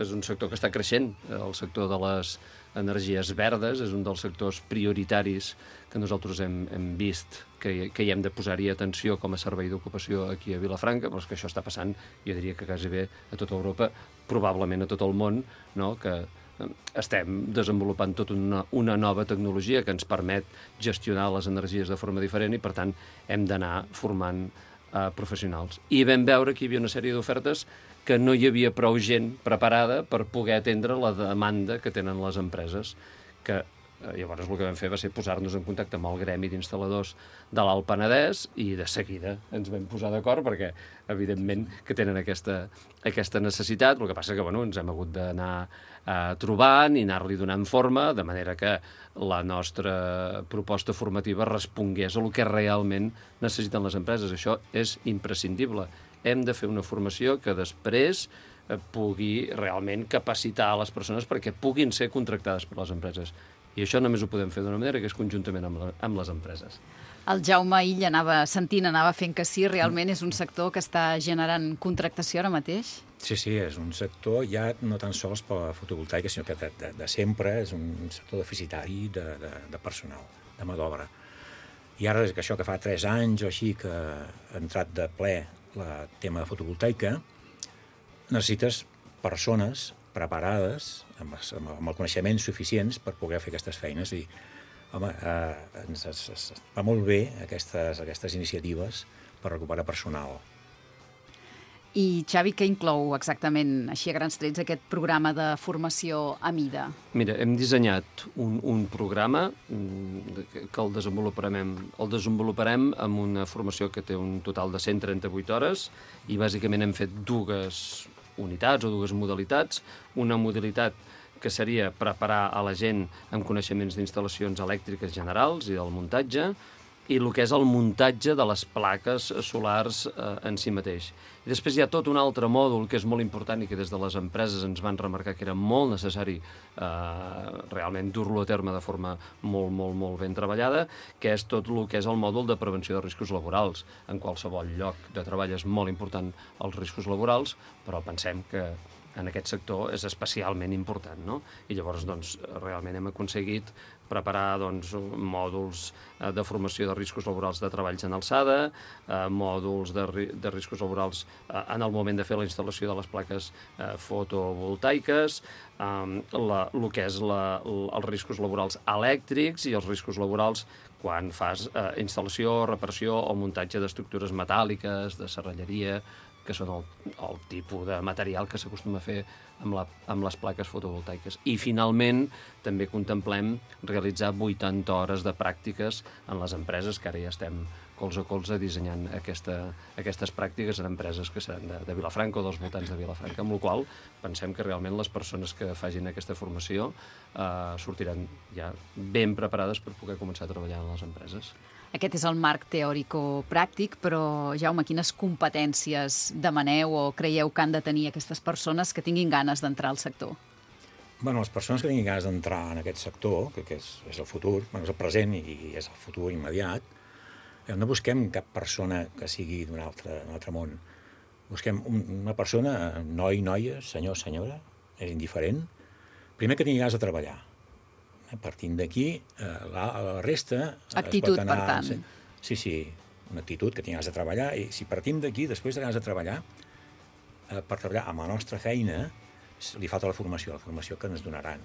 Speaker 10: és un sector que està creixent, el sector de les energies verdes és un dels sectors prioritaris que nosaltres hem vist que hi hem de posar-hi atenció com a servei d'ocupació aquí a Vilafranca, però és que això està passant, jo diria que quasi bé a tota Europa, probablement a tot el món, no? Que estem desenvolupant tota una nova tecnologia que ens permet gestionar les energies de forma diferent i, per tant, hem d'anar formant professionals. I vam veure que hi havia una sèrie d'ofertes que no hi havia prou gent preparada per poder atendre la demanda que tenen les empreses, que llavors el que vam fer va ser posar-nos en contacte amb el gremi d'instal·ladors de l'Alt Penedès i de seguida ens vam posar d'acord perquè, evidentment, que tenen aquesta necessitat. El que passa que ens hem hagut d'anar trobant i anar-li donant forma, de manera que la nostra proposta formativa respongués a el que realment necessiten les empreses. Això és imprescindible. Hem de fer una formació que després pugui realment capacitar les persones perquè puguin ser contractades per les empreses. I això només ho podem fer d'una manera que és conjuntament amb les empreses.
Speaker 1: El Jaume Illa anava fent que sí, realment és un sector que està generant contractació ara mateix?
Speaker 11: Sí, és un sector ja no tan sols per la fotovoltaica, sinó que de sempre és un sector deficitari de personal, de mà d'obra. I ara, que això que fa 3 anys o així que ha entrat de ple el tema de fotovoltaica, necessites persones preparades, amb el coneixement suficients per poder fer aquestes feines. I, home, ens va molt bé aquestes iniciatives per recuperar personal.
Speaker 1: I, Xavi, què inclou exactament, així a grans trets, aquest programa de formació a mida?
Speaker 10: Mira, hem dissenyat un programa que el desenvoluparem amb una formació que té un total de 138 hores i bàsicament hem fet 2 unitats o 2 modalitats. Una modalitat que seria preparar a la gent amb coneixements d'instal·lacions elèctriques generals i del muntatge, i el que és el muntatge de les plaques solars en si mateix. I després hi ha tot un altre mòdul que és molt important i que des de les empreses ens van remarcar que era molt necessari realment dur-lo a terme de forma molt ben treballada, que és tot el que és el mòdul de prevenció de riscos laborals. En qualsevol lloc de treball és molt important els riscos laborals, però pensem que en aquest sector és especialment important, no? I llavors, realment hem aconseguit preparar mòduls de formació de riscos laborals de treballs en alçada, mòduls de riscos laborals en el moment de fer la instal·lació de les plaques fotovoltaiques, el que és els riscos laborals elèctrics i els riscos laborals quan fas instal·lació, reparació o muntatge d'estructures metàl·liques, de serralleria, que són el tipus de material que s'acostuma a fer amb les plaques fotovoltaiques. I, finalment, també contemplem realitzar 80 hores de pràctiques en les empreses, que ara ja estem colze a colze dissenyant aquestes pràctiques en empreses que seran de Vilafranca o dels voltants de Vilafranca, amb la qual pensem que realment les persones que facin aquesta formació sortiran ja ben preparades per poder començar a treballar en les empreses.
Speaker 1: Aquest és el marc teòrico-pràctic, però, Jaume, quines competències demaneu o creieu que han de tenir aquestes persones que tinguin ganes d'entrar al sector?
Speaker 11: Les persones que tinguin ganes d'entrar en aquest sector, que és el futur, és el present i és el futur immediat, no busquem cap persona que sigui d'un altre món. Busquem una persona, noi, noia, senyor, senyora, és indiferent, primer que tingui ganes de treballar. Partint d'aquí, la resta...
Speaker 1: Actitud, per tant.
Speaker 11: Sí, una actitud que tingui ganes de treballar. I si partim d'aquí, després de ganes de treballar, per treballar amb la nostra feina, li falta la formació que ens donaran.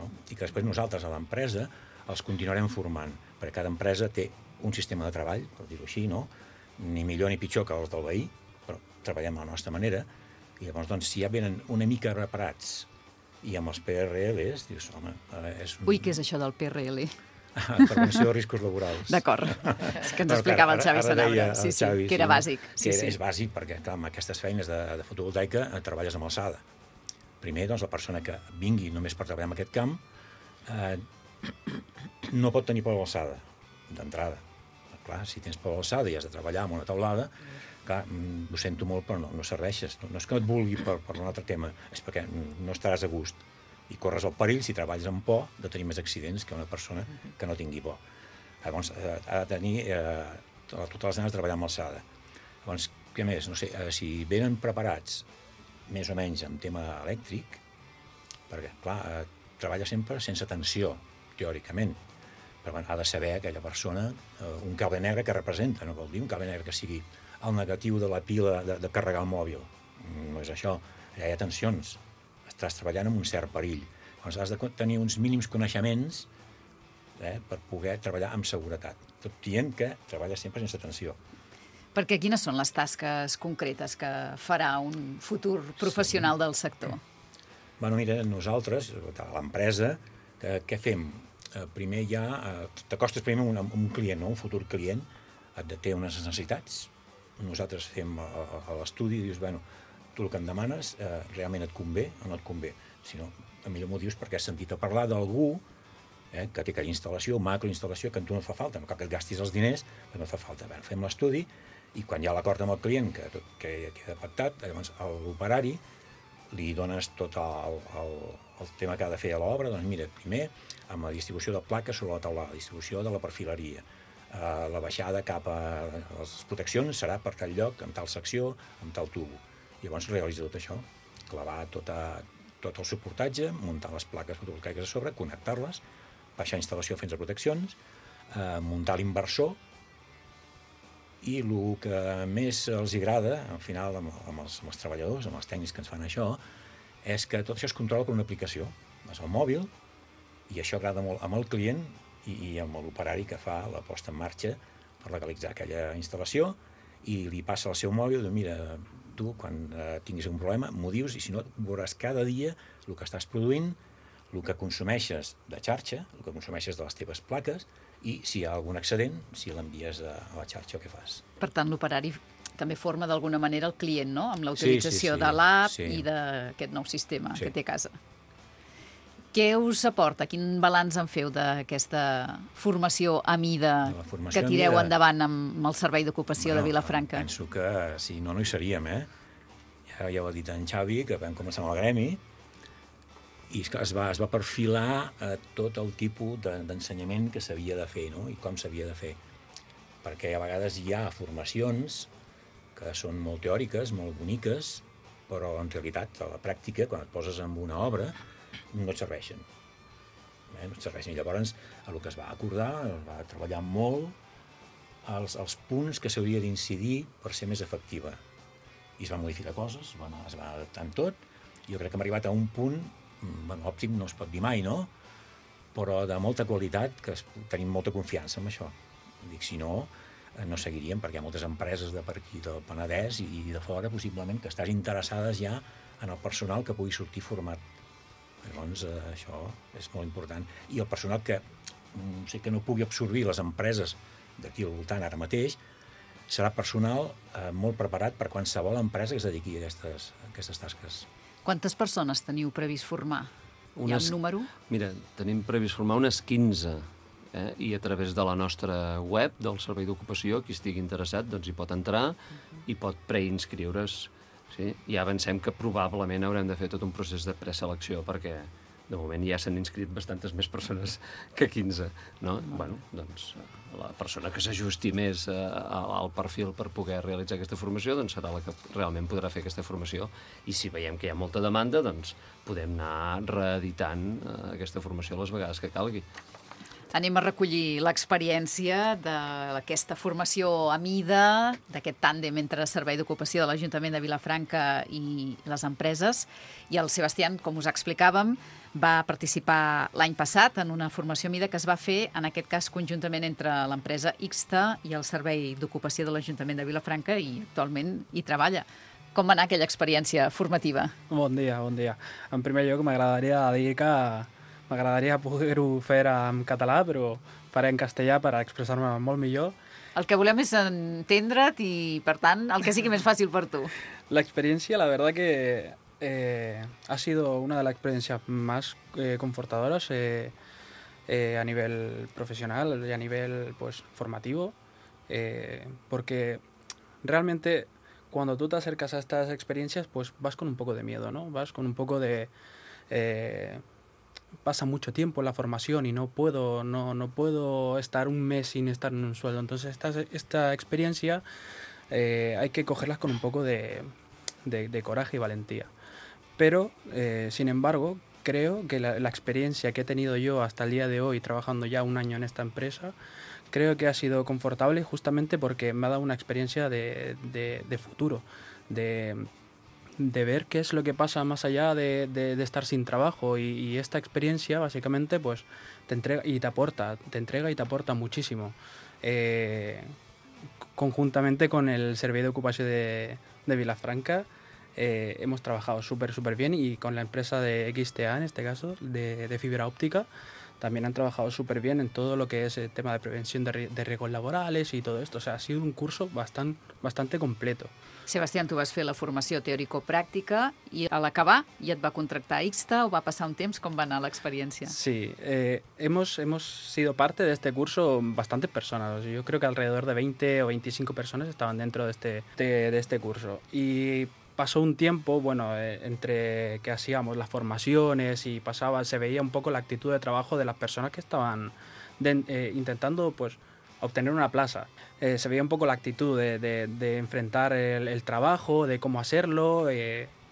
Speaker 11: I que després nosaltres, a l'empresa, els continuarem formant, perquè cada empresa té un sistema de treball, per dir-ho així, ni millor ni pitjor que els del veí, però treballem a la nostra manera, i llavors, si ja venen una mica reparats i amb els PRLs, dius, home...
Speaker 1: Ui, què és això del PRL?
Speaker 11: Prevenció de riscos laborals.
Speaker 1: D'acord, és que ens explicava el Xavi Sanabra, sí, que era bàsic.
Speaker 11: És bàsic perquè, clar, amb aquestes feines de fotovoltaica treballes amb alçada. Primer, la persona que vingui només per treballar en aquest camp no pot tenir por a l'alçada, d'entrada. Clar, si tens por a l'alçada i has de treballar amb una taulada, clar, ho sento molt, però no serveixes. No és que no et vulgui per un altre tema, és perquè no estaràs a gust. I corres el perill, si treballes amb por, de tenir més accidents que una persona que no tingui por. Llavors, ha de tenir totes les ganes de treballar amb alçada. Llavors, què més? No sé, si venen preparats més o menys en tema elèctric, perquè, clar, treballa sempre sense tensió, teòricament, però ha de saber aquella persona un cable negre que representa, no vol dir un cable negre que sigui el negatiu de la pila de carregar el mòbil. No és això, allà hi ha tensions, estàs treballant amb un cert perill. Llavors has de tenir uns mínims coneixements per poder treballar amb seguretat, tot dient que treballa sempre sense tensió.
Speaker 1: Perquè quines són les tasques concretes que farà un futur professional del sector?
Speaker 11: Bueno, mira, nosaltres, a l'empresa, què fem? Primer t'acostes primer a un client, no? Un futur client, té unes necessitats. Nosaltres fem l'estudi i dius, bueno, tu el que em demanes realment et convé o no et convé. Si no, millor m'ho dius perquè has sentit a parlar d'algú que té aquella instal·lació, macroinstal·lació, que a tu no et fa falta, no cal que et gastis els diners, però no et fa falta. Bé, fem l'estudi i quan hi ha l'acord amb el client que queda pactat, llavors a l'operari li dones tot el tema que ha de fer a l'obra, doncs mira, primer amb la distribució de plaques sobre la taulada, la distribució de la perfileria, la baixada cap a les proteccions serà per tal lloc, amb tal secció, amb tal tubo. Llavors realitza tot això, clavar tot el suportatge, muntar les plaques fotovoltaiques a sobre, connectar-les, baixar instal·lació fins a proteccions, muntar l'inversor, i el que més els agrada, al final, amb els treballadors, amb els tècnics que ens fan això, és que tot això es controla per una aplicació. Vas al mòbil, i això agrada molt amb el client i amb l'operari que fa la posta en marxa per legalitzar aquella instal·lació, i li passa al seu mòbil, diu, mira, tu, quan tinguis un problema, m'ho dius, i si no, veuràs cada dia el que estàs produint, el que consumeixes de xarxa, el que consumeixes de les teves plaques, i si hi ha algun excedent, si l'envies a la xarxa o què fas.
Speaker 1: Per tant, l'operari també forma d'alguna manera el client, no?, amb la utilització de l'app i d'aquest nou sistema que té a casa. Què us aporta? Quin balanç en feu d'aquesta formació a mida que tireu endavant amb el Servei d'Ocupació de Vilafranca?
Speaker 11: Penso que si no, no hi seríem, Ja ho ha dit en Xavi, que vam començar amb el gremi, i es va perfilar tot el tipus d'ensenyament que s'havia de fer, no? I com s'havia de fer. Perquè a vegades hi ha formacions que són molt teòriques, molt boniques, però en realitat, a la pràctica, quan et poses en una obra, no et serveixen. No et serveixen. I llavors, el que es va acordar, es va treballar molt els punts que s'hauria d'incidir per ser més efectiva. I es van modificar coses, es va adaptant tot. Jo crec que hem arribat a un punt, òptim no es pot dir mai, no? Però de molta qualitat, que tenim molta confiança en això. Dic, si no, no seguiríem, perquè hi ha moltes empreses de per aquí, del Penedès i de fora, possiblement, que estàs interessades ja en el personal que pugui sortir format. Llavors, això és molt important. I el personal que no pugui absorbir les empreses d'aquí al voltant ara mateix, serà personal molt preparat per qualsevol empresa que es dediqui a aquestes tasques.
Speaker 1: Quantes persones teniu previst formar? Hi ha un número?
Speaker 10: Mira, tenim previst formar unes 15, i a través de la nostra web del Servei d'Ocupació, qui estigui interessat doncs hi pot entrar i pot preinscriure's. Sí? Ja avancem que probablement haurem de fer tot un procés de preselecció, perquè de moment ja s'han inscrit bastantes més persones que 15. No? Bueno, doncs la persona que s'ajusti més al perfil per poder realitzar aquesta formació doncs serà la que realment podrà fer aquesta formació. I si veiem que hi ha molta demanda, doncs podem anar reeditant aquesta formació les vegades que calgui.
Speaker 1: Anem a recollir l'experiència d'aquesta formació a mida, d'aquest tàndem entre Servei d'Ocupació de l'Ajuntament de Vilafranca i les empreses. I el Sebastián, com us explicàvem, va participar l'any passat en una formació a mida que es va fer, en aquest cas, conjuntament entre l'empresa Ixta i el Servei d'Ocupació de l'Ajuntament de Vilafranca, i actualment hi treballa. Com va anar aquella experiència formativa?
Speaker 12: Bon dia, bon dia. En primer lloc, m'agradaria dir que m'agradaria poder-ho fer en català, però faré en castellà per expressar-me molt millor.
Speaker 1: El que volem és entendre't i, per tant, el que sigui més fàcil per tu.
Speaker 12: La experiencia, la verdad que ha sido una de las experiencias más confortadoras a nivel profesional y a nivel formativo, porque realmente cuando tú te acercas a estas experiencias, pues vas con un poco de miedo, ¿no? Vas con un poco de... pasa mucho tiempo en la formación y no puedo estar un mes sin estar en un sueldo. Entonces esta experiencia hay que cogerlas con un poco de coraje y valentía. Pero, sin embargo, creo que la experiencia que he tenido yo hasta el día de hoy, trabajando ya un año en esta empresa, creo que ha sido confortable justamente porque me ha dado una experiencia de futuro, de ver qué es lo que pasa más allá de estar sin trabajo, y esta experiencia básicamente pues te entrega y te aporta muchísimo. Conjuntamente con el Servei d'Ocupació de Vilafranca hemos trabajado súper bien, y con la empresa de XTA, en este caso, de fibra óptica, también han trabajado súper bien en todo lo que es el tema de prevención de riesgos laborales y todo esto. O sea, ha sido un curso bastante completo.
Speaker 1: Sebastián, tu vas fer la formació teòrico-pràctica i a l'acabar ja et va contractar IXTA o va passar un temps? Com va anar l'experiència?
Speaker 12: Sí, hemos sido parte de este curso bastantes personas. Yo creo que alrededor de 20 o 25 personas estaban dentro de este curso. Y pasó un tiempo, bueno, entre que hacíamos las formaciones y se veía un poco la actitud de trabajo de las personas que estaban intentando, pues, obtener una plaza. Se veía un poco la actitud de enfrentar el trabajo, de cómo hacerlo.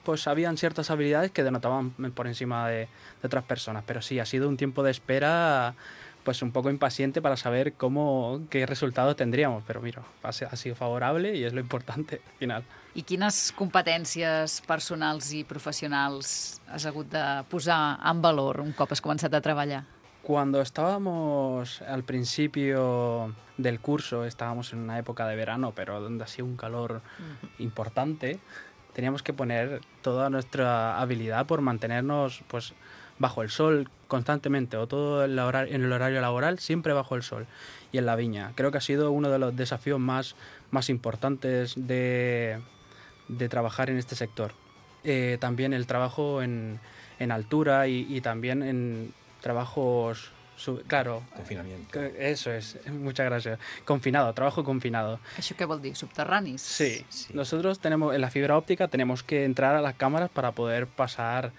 Speaker 12: Pues habían ciertas habilidades que denotaban por encima de otras personas. Pero sí, ha sido un tiempo de espera, pues un poco impaciente para saber qué resultados tendríamos. Pero mira, ha sido favorable y es lo importante al final.
Speaker 1: I quines competències personals i professionals has hagut de posar en valor un cop has començat a treballar?
Speaker 12: Cuando estábamos al principio del curso, estábamos en una época de verano, pero donde hacía un calor importante, teníamos que poner toda nuestra habilidad por mantenernos, pues, bajo el sol constantemente, o todo en el horario laboral, siempre bajo el sol y en la viña. Creo que ha sido uno de los desafíos más importantes de trabajar en este sector. También el trabajo en altura y también en trabajos, claro.
Speaker 11: Confinamiento.
Speaker 12: Eso es, muchas gracias. Trabajo confinado.
Speaker 1: ¿Això què vol dir? Subterranis?
Speaker 12: Sí. Nosotros en la fibra óptica tenemos que entrar a las cámaras para poder pasar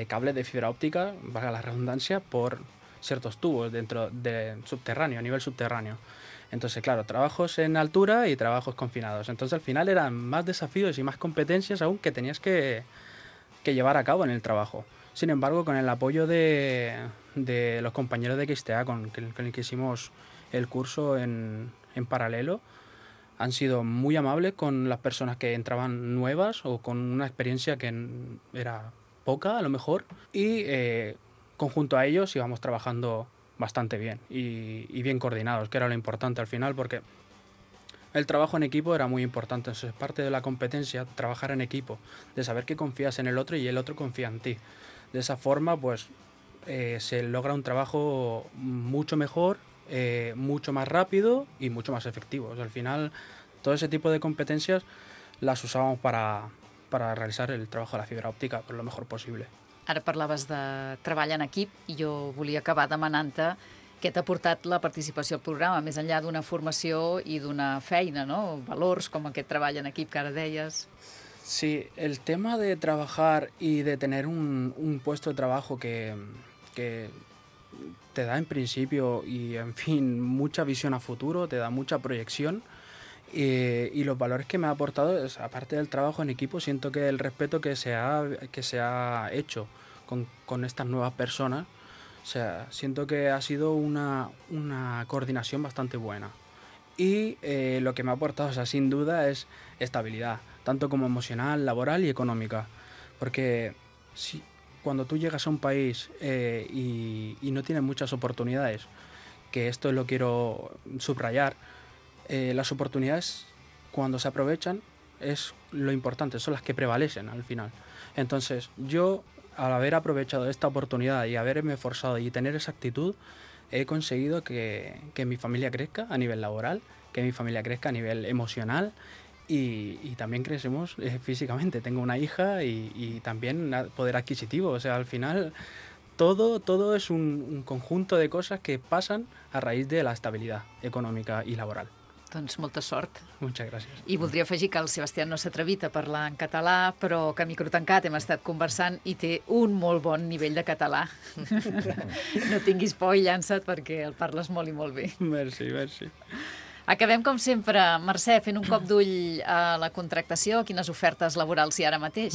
Speaker 12: cables de fibra óptica, valga la redundancia, por ciertos tubos dentro del subterráneo, a nivel subterráneo. Entonces, claro, trabajos en altura y trabajos confinados. Entonces, al final eran más desafíos y más competencias aún que tenías que llevar a cabo en el trabajo. Sin embargo, con el apoyo de los compañeros de XTA con el que hicimos el curso en paralelo, han sido muy amables con las personas que entraban nuevas o con una experiencia que era poca, a lo mejor, y conjunto a ellos íbamos trabajando bastante bien y bien coordinados, que era lo importante al final, porque el trabajo en equipo era muy importante. Entonces, parte de la competencia, trabajar en equipo, de saber que confías en el otro y el otro confía en ti. De esa forma, pues, se logra un trabajo mucho mejor, mucho más rápido y mucho más efectivo. O sea, al final, todo ese tipo de competencias las usábamos para realizar el trabajo de la fibra òptica por lo mejor possible.
Speaker 1: Ara parlaves de treball en equip i jo volia acabar demanant-te què t'ha portat la participació al programa, més enllà d'una formació i d'una feina, ¿no? Valors com aquest treball en equip que ara deies.
Speaker 12: Sí, el tema de trabajar y de tener un puesto de trabajo que te da en principio y, en fin, mucha visión a futuro, te da mucha proyección, y los valores que me ha aportado, aparte del trabajo en equipo, siento que el respeto que se ha hecho con estas nuevas personas, o sea, siento que ha sido una coordinación bastante buena. Y lo que me ha aportado, o sea, sin duda, es estabilidad, tanto como emocional, laboral y económica. Porque cuando tú llegas a un país y no tienes muchas oportunidades, que esto lo quiero subrayar, las oportunidades, cuando se aprovechan, es lo importante, son las que prevalecen al final. Entonces, yo, al haber aprovechado esta oportunidad y haberme esforzado y tener esa actitud, he conseguido que mi familia crezca a nivel laboral, que mi familia crezca a nivel emocional y también crecemos físicamente. Tengo una hija y también poder adquisitivo. O sea, al final todo es un conjunto de cosas que pasan a raíz de la estabilidad econòmica i laboral.
Speaker 1: Doncs molta sort.
Speaker 12: Muchas gracias.
Speaker 1: I voldria afegir que el Sebastián no s'ha atrevit a parlar en català, però que a micro tancat hem estat conversant i té un molt bon nivell de català. No tinguis por i llança't perquè el parles molt i molt bé.
Speaker 12: Merci, merci.
Speaker 1: Acabem, com sempre, Mercè, fent un cop d'ull a la contractació. Quines ofertes laborals hi ha ara mateix?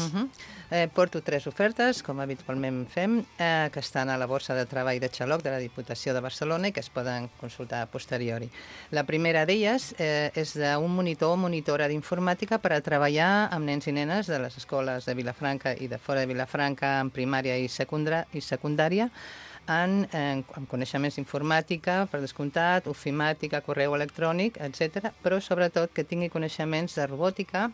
Speaker 9: Porto 3 ofertes, com habitualment fem, que estan a la borsa de treball de Xaloc de la Diputació de Barcelona i que es poden consultar a posteriori. La primera d'elles és d'un monitor o monitora d'informàtica per a treballar amb nens i nenes de les escoles de Vilafranca i de fora de Vilafranca en primària i secundària, amb coneixements d'informàtica, per descomptat, ofimàtica, correu electrònic, etc., però sobretot que tingui coneixements de robòtica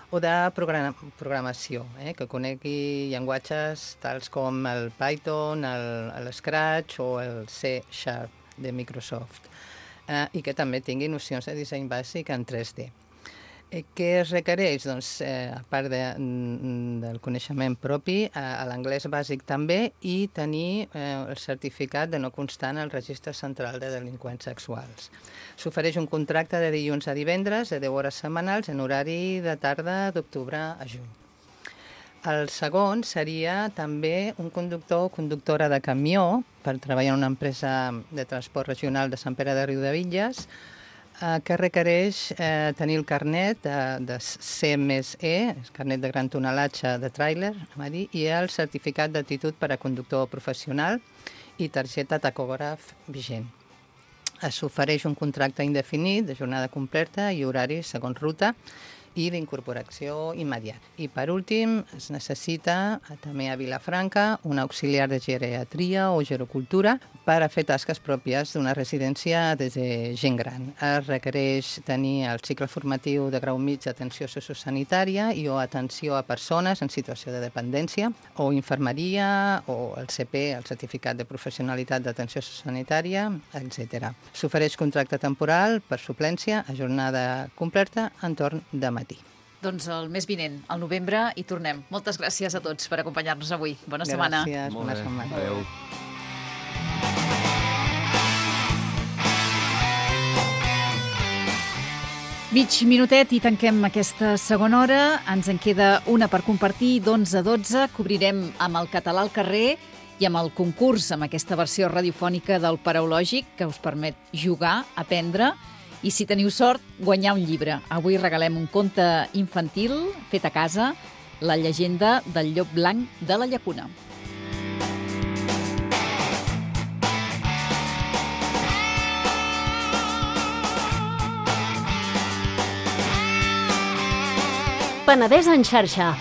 Speaker 9: o de programació, que conegui llenguatges tals com el Python, el Scratch o el C# de Microsoft, i que també tingui nocions de disseny bàsic en 3D. Què es requereix? Doncs, a part del coneixement propi, l'anglès bàsic també, i tenir el certificat de no constant al Registre Central de Delinqüents Sexuals. S'ofereix un contracte de dilluns a divendres, de 10 hores setmanals, en horari de tarda d'octubre a juny. El segon seria també un conductor o conductora de camió per treballar en una empresa de transport regional de Sant Pere de Riudebitlles, que requereix tenir el carnet de C+E, el carnet de gran tonelatge de tràiler, i el certificat d'aptitud per a conductor professional i targeta tacògraf vigent. S'ofereix un contracte indefinit de jornada completa i horari segons ruta i d'incorporació immediata. I per últim, es necessita també a Vilafranca un auxiliar de geriatria o gerocultura per a fer tasques pròpies d'una residència de gent gran. Es requereix tenir el cicle formatiu de grau mig d'atenció sociosanitària i o atenció a persones en situació de dependència, o infermeria, o el CP, el certificat de professionalitat d'atenció sociosanitària, etc. S'ofereix contracte temporal per suplència a jornada completa en torn de matí.
Speaker 1: Doncs el mes vinent, al novembre, hi tornem. Moltes gràcies a tots per acompanyar-nos avui. Bona setmana.
Speaker 9: Gràcies, bona setmana.
Speaker 10: Adéu.
Speaker 1: Mig minutet i tanquem aquesta segona hora. Ens en queda una per compartir, d'11 a 12. Cobrirem amb el català al carrer i amb el concurs, amb aquesta versió radiofònica del Paraulògic, que us permet jugar, aprendre, i si teniu sort, guanyar un llibre. Avui regalem un conte infantil fet a casa, La llegenda del llop blanc de la llacuna.
Speaker 13: Penedès en xarxa.